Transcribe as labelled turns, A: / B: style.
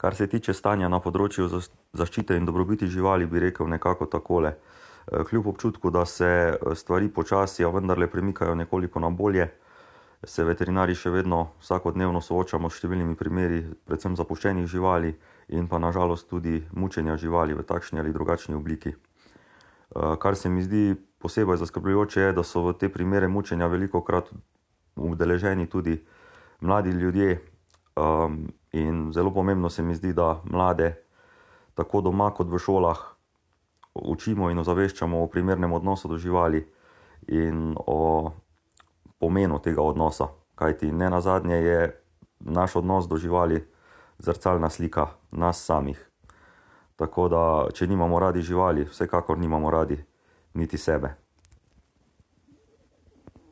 A: Kar se tiče stanja na področju zaščite in dobrobiti živali, bi rekel nekako takole. Kljub občutku, da se stvari počasi, a vendarle premikajo nekoliko na bolje, se veterinarji še vedno vsakodnevno soočamo s številnimi primeri, predvsem zapuščenih živali in pa na žalost tudi mučenja živali v takšni ali drugačni obliki. Kar se mi zdi posebej zaskrbljujoče je, da so v te primere mučenja velikokrat udeleženi tudi mladi ljudje, in zelo pomembno se mi zdi, da mlade tako doma kot v šolah učimo in ozaveščamo o primernem odnosu do živali in o pomenu tega odnosa. Kajti nenazadnje je naš odnos do živali zrcalna slika nas samih. Tako da, če nimamo radi živali, vsekakor nimamo radi niti sebe.